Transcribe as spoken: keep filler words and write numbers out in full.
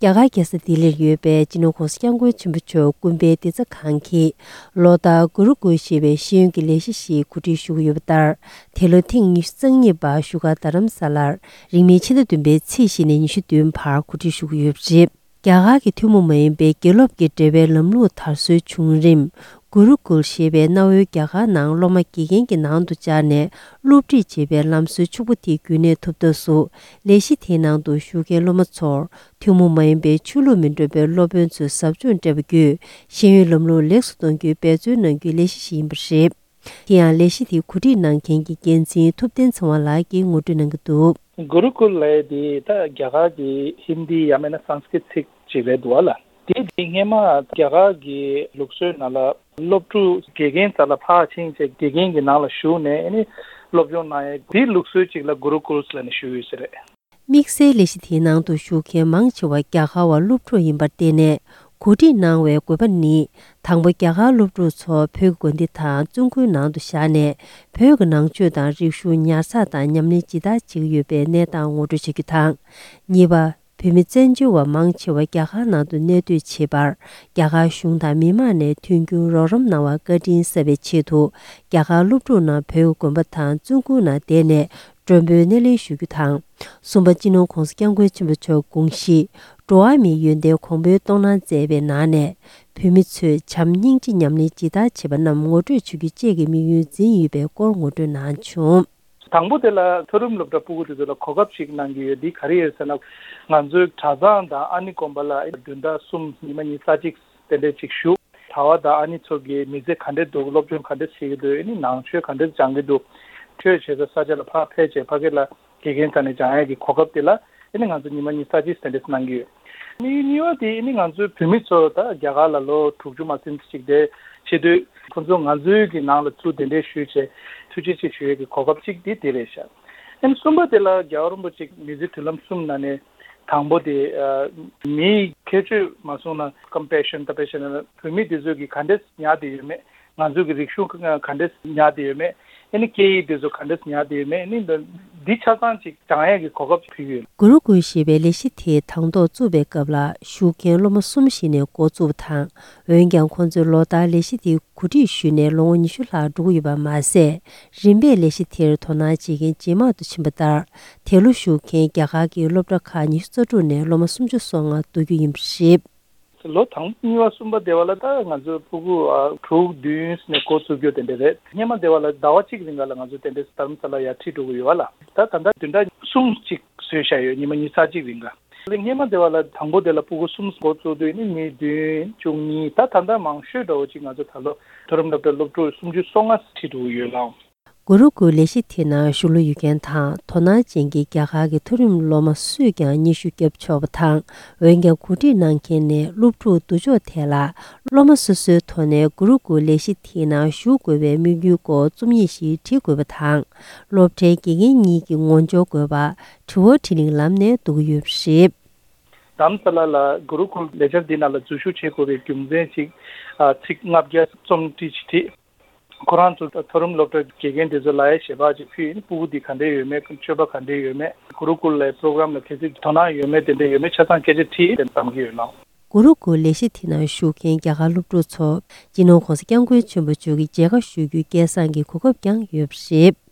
རྒྱ་གར་རྒྱལ་ས་ལྡི་ལིར་ཡོད་པའི་སྤྱི་ནོར་༸གོང་ས་༸སྐྱབས་མགོན་ཆེན་པོ་མཆོག་སྐུ་ཕེབས་བདེ་རྩ་ཁང་གིས་ལོ་ལྟར་གུ་རུ་ཀུལ་ཞེས་པའི་ཤེས་ཡོན་གྱི་ལས་གཞི་ཞིག་གོ་སྒྲིག་ཞུ་གི་ཡོད་པ་ལྟར། དེ་ལོ་ཐེངས་ཉི་ཤུ་རྩ་གཉིས་པ་བཞུགས་སྒར་རྡ་རམ་ས་ལར་རིང་མིན་ཕྱི་ཟླ་བདུན་པའི་ཚེས་བཞི་ནས་ཉི་ཤུ་བདུན་བར་གོ་སྒྲིག་ཞུ་གི་ཡོད་པ་རེད། རྒྱ་གར་གྱི་ཐུན་མོང་མ་ཡིན་པའི་དགེ་སློབ་ཀྱི་འབྲེལ་བའི་ལམ་ལུགས་དར་སྲོལ་བྱུང་རིམ། གུ་རུ་ཀུལ་ཞེས་པའི་གནའ་བོའི་རྒྱ་གར་ནང་སློབ་མ་དགེ་རྒན་གྱི་ནང་དུ་བཅར་ནས་སློབ་ཁྲིད་བྱེད་པའི་ལམ་སྲོལ་ཕྱུག་པོ་དེ་རྒྱུན་གནས་ཐུབ་ཐབས་སུ། ལས་གཞི་དེའི་ནང་དུ་ཞུགས་མཁན་སློབ་མ་ཚོར་ཐུན་མོང་མ་ཡིན་པའི་ཆོས་ལུགས་མི་འདྲ་བའི་སློབ་དཔོན་ཚོས་ཟབ་སྦྱོང་སྤྲད་པ་བརྒྱུད་ཤེས་ཡོན་ལམ་ལུགས་ལེགས་སུ་གཏོང་རྒྱུའི་འབད་བརྩོན་གནང་རྒྱུའི་ལས་གཞི་ཞིག་ཡིན་པ་རེད། དེ་ཡང་ལས་གཞི་དེ་གོ་སྒྲིག་གནང་མཁན་གྱི་འགན་འཛིན་ཐུབ་བསྟན་ཚེ་དབང་ལགས་ཀྱིས་ངོ་སྤྲོད་གནང་གི་འདུག། གུ་རུ་ཀུལ་ལབ་ཡས་དེ་ད་རྒྱ་གར་གྱི་ཧིན་དི་ཡང་མིན་ན་སཾ་སྐྲྀཏ་ཚིག་ཅིག་རེད་འདུག་བ་ལ། དེ་དེ་སྔས་མ་རྒྱ་གར་གྱི་ལུགས་སྲོལ་ནང་ལ་སློབ་ཕྲུག་དགེ་རྒན་རྩ་ལ་ཕར་ཕྱིན་བྱས་དགེ་རྒན་གྱི་ནང་ལ་ཞུགས་ནས་ཨ་ནི་སློབ་སྦྱོང་གནང་ཡས་དེའི་ལུགས་སྲོལ་ཅིག་ལ་གུ་རུ་ཀུལ་ལབ་ནས་ཞུ་ཡོད་ས་རེད། དམིགས་བསལ་ལས་གཞི་དེའི་ནང་དུ་ཞུགས་མཁན་མང་ཆེ་བ་རྒྱ་གར་བ་སློབ་ཕྲུག་ཡིན་པར་བརྟེན་ནས། གོ་སྒྲིག་གནང་བའི་དགོས་པ་ནི། དང་པོ་རྒྱ་གར་སློབ་ཕྲུག་ཚོ་བོད་ཀྱི་དགོན་སྡེ་དང་བཙུན་དགོན་ནང་དུ་བཞག་ནས། བོད་ཀྱི་ནང་ཆོས་དང་རིག་གཞུང་ཉར་ཚགས་དང་ཉམས་ལེན་ཇི་ལྟར་བྱེད་ཀྱི་ཡོད་པའི་གནས་སྟངས་ངོ་སྤྲོད་བྱ་རྒྱུ་དང་། གཉིས་པ། བོད་མི་བཙན་བྱོལ་བ་མང་ཆེ་བ་རྒྱ་གར་ནང་དུ་གནས་སྡོད་བྱེད་པར། རྒྱ་གར་གཞུང་དང་མི་མང་ནས་མཐུན་འགྱུར་རོགས་རམ་གནང་བར་བཀའ་དྲིན་གསབ་པའི་ཆེད་དུ། རྒྱ་གར་སློབ་ཕྲུག་རྣམས་བོད་ཀྱི་དགོན་པ་དང་བཙུན་དགོན་ནང་བསྡད་ནས། མགྲོན་པོའི་སྣེ་ལེན་ཞུ་རྒྱུ་དང་། གསུམ་པ། སྤྱི་ནོར་༸གོང་ས་༸སྐྱབས་མགོན་ཆེན་པོ་མཆོག་དགོངས་གཞི། འགྲོ་བ་མིའི་ཡོན་ཏན་གོང་འཕེལ་གཏོང་གནང་མཛད་པའི་ནང་ནས། བོད་མི་ཚོས་བྱམས་སྙིང་རྗེ་ཉམས་ལེན་ཇི་ལྟར་བྱེད་པ་རྣམས་ངོ་སྤྲོད་བྱ་རྒྱུ་བཅས་ཀྱི་དམིགས་ཡུལ་འཛིན་ཡོད་པའི་སྐོར་ངོ་སྤྲོད་གནང་བྱུང་། དང་པོ་དེ་ལ་མཐོ་རིམ་སློབ་གྲྭ་ཕྲུ་གུ་དེ་ཚོ་ལ་གོ་སྐབས་ཤིག་གནང་གི་ཡོད། འདི་ག་རེ་ཡོད་ཟེར་ན། ང་ཚོའི་གྲྭ་ཚང་དང་ཨ་ནེ་དགོན་པ་ལ་བདུན་ཕྲག་གསུམ་ཉི་མ་ཉི་ཤུ་རྩ་གཅིག་དེ་འདྲས་ཅིག་བཞུགས། གྲྭ་བ་དང་ཨ་ནེ་ཚོ་གི་མི་ཚེ་ག་འདྲས་འདུག། སློབ་སྦྱོང་ག་འདྲས་བྱེད་ཀྱི་འདུག། ཨ་ནི་ནང་ཆོས་ག་འདྲས་སྦྱང་གི་འདུག། ཆོས་བྱེད་ས་ས་ཆ་ལ་ཕར་ཕེབས་བྱས་ཕ་གི་ལ་དགེ་རྒན་རྩ་ནས་སྦྱང་ཡག་གི་གོ་སྐབས་དེ་ལ་ཨ་ནི་ང་ཚོ་ཉི་མ་ཉི་ཤུ་རྩ་གཅིག་དེ་འདྲས་གནང་གི་ཡོད། ཨ་ནི་གཉིས་པ་དེ་ཨ་ནི་ང་ཚོའི་བོད་མི་ཚོ་ད་རྒྱ་གར་ལ་ལོ་དྲུག་ཅུ་མ་ཟིན་ཅིག་བསྡད་བྱེད་དུས་ཁོང་ཚོ་ང་ཚོའི་གི་ནང་ལ་ཚུར་གདན་འདྲེན་ཞུས་བྱས་ཐུགས་རྗེ་ཆེ་ཞུ་ཡག་གི་གོ་སྐབས་གཅིག་དེ་དེ་རེད་ཤག། ཨ་ནི་གསུམ་པ་དེ་ལ་རྒྱལ་བ་རིན་པོ་ཆེ་མི་ཚེ་མདུན་ལམ་གསུམ་ནང་ནས། དང་པོ་དེ། ཨ། མིའི་ཁྱད་ཆོས་མ་སོང་ན་ཀམ་པེ་ཤན་ད་པེ་ཤན་ན་བོད་མི་དེ་ཚོ་གི་ག་འདྲས་ཉར་བསྡད་ཡོད་མེད། ང་ཚོ་གི་རིག་གཞུང་ག་འདྲས་ཉར་བསྡད་ཡོད་མེད། ཨ་ནི་སྐད་ཡིག་དེ་ཚོ་ག་འདྲས་ཉར་བསྡད་ཡོད་མེད། ཨ་ནི་འདི་ཆ་ཚང་ཅིག་སྦྱང་ཡག་གི་གོ་སྐབས་ཕུལ་གྱི་ཡོད། གུ་རུ་ཀུལ་ཞེས་པའི་ལས་གཞི་དེ་དང་ཐོག་བཙུགས་པའི་སྐབས་ལ་ཞུགས་མཁན་སློབ་མ་གསུམ་ཞིག་ནས་འགོ་བཙུགས་པ་དང་། འོན་ཀྱང་ཁོང་ཚོས་ལོ་ལྟར་ལས་གཞི་དེ་གོ་སྒྲིག་ཞུས་ནས་ལོ་ངོ་ཉི་ཤུ་ལྷག་འགྲོ་གི་ཡོད་པ་མ་ཟད། རིམ་པས་ལས་གཞི་དེར་དོ་སྣང་བྱེད་མཁན་ཇེ་མང་དུ་ཕྱིན་པ་ལྟར། དེ་ལོ་ཞུགས་མཁན་རྒྱ་གར་གྱི་སློབ་གྲྭ་ཁག་ཉི་ཤུ་རྩ་དྲུག་ནས་སློབ་མ་སུམ་ཅུ་སོ་ལྔ་གཏོགས་རྒྱུ་ཡིན་པ་རེད། ལོ་དང་པོ་གཉིས་པ་གསུམ་པ་དེ་བ་ལ་ད་ང་ཚོ་ཕྲུ་གུ་ཨ་དྲུག་བདུན་ནས་འགོ་ཚུགས་རྒྱུ་དེ་འདྲ་རེད། སྔས་མ་དེ་བ་ལ་ཟླ་བ་གཅིག་རིང་ག་ལ་ང་ཚོ་དེ་འདྲ་རྡ་རམ་ས་ལ་ཡར་ཁྲིད་འགྲོ་གི་ཡོད་བ་ལ། ད་ད་ལྟ་བདུན་ཕྲག་གསུམ་གཅིག་བཟོས་བཞག་ཡོད། ཉི་མ་ཉི་ཤུ་རྩ་གཅིག་རིང་ག། སྔས་མ་དེ་བ་ལ་དང་པོ་དེ་ལ་ཕྲུ་གུ་གསུམ་འགོ་བཙུགས་དུས་ནི་མི་བདུན་བཅུ་གཉིས། ད་ད་ལྟ་མང་ཤོས་འདྲ་བོ་ཅིག་ང་ཚོ་ད་ལོ་མཐོ་རིམ་སློབ་གྲྭ་སློབ་ཕྲུག་སུམ་ཅུ་སོ་ལྔ་ཁྲིད་འགྲོ་གི་ཡོད་ལགས། གུ་རུ་ཀུལ་ལས་གཞི་དེ་ནང་ཞུགས་འབུལ་ཡོད་མཁན་དང་དོ་སྣང་ཅན་གྱི་རྒྱ་གར་གྱི་མཐོ་རིམ་སློབ་མ་སུས་ཀྱང་སྙན་ཞུ་བརྒྱབ་ཆོག་པ་དང་། འོན་ཀྱང་གོ་སྒྲིག་གནང་མཁན་ནས་སློབ་ཕྲུག་བསྡུ་ཕྱོགས་ཐད་ལ་སློབ་མ་སོ་སོའི་ཐོག་ནས་གུ་རུ་ཀུལ་ལས་གཞི་དེའི་ནང་ཞུགས་དགོས་པའི་དམིགས་ཡུལ་སྐོར་རྩོམ་ཡིག་ཞིག་བྲིས་དགོས་པ་དང་། སློབ་གྲྭའི་དགེ་རྒན་གཉིས་ཀྱི་ངོ་འབྱོར་དགོས་པ། དྲི་བ་དྲིས་ལན་ལམ་ནས་འདུག་གི་ཡོད་པ་རེད། རྡ་རམ་ས་ལ་ལ་གུ་རུ་ཀུལ་ལེགས་སྦྱར་འདི་ནང་ལ་འཛུལ་ཞུགས་བྱེད་དགོས་པའི་རྒྱུ་མཚན་ཅིག། ཨ། ཚིག་ལྔ་བརྒྱ་རྩོམ་བྲིས་ཅིག་བྲིས། ཁོ་རང་ཚོ་མཐོ་རིམ་སློབ་གྲྭའི་དགེ་རྒན་དེ་ཚོ་ལ་ཡང་ཞལ་པར་ཅིག་ཕུལ་ཡིན། ཕྲུ་གུ་འདི་ག་འདྲས་ཡོད་མེད། སྤྱོད་པ་ག་འདྲས་ཡོད་མེད། གུ་རུ་ཀུལ་ལའི་པྲོ་གྲམ་ལ་གལ་སྲིད་དོ་སྣང་ཡོད་མེད་དེ་འདྲས་ཡོད་མེད་ཆ་ཚང་སྐད་ཆ་དྲིས་ཏེ་བདམས་ཀྱི་ཡོད་ལགས། གུ་རུ་ཀུལ་ལས་གཞི་དེ་ནང་ཞུགས་མཁན་རྒྱ་གར་སློབ་ཕྲུག་ཚོ་སྤྱི་ནོར་༸གོང་ས་༸སྐྱབས་མགོན་ཆེན་པོ་མཆོག་གི་མཇལ་ཁ་ཞུ་རྒྱུའི་སྐལ་བཟང་གི་གོ་སྐབས་ཀྱང་ཡོད་པ་རེད།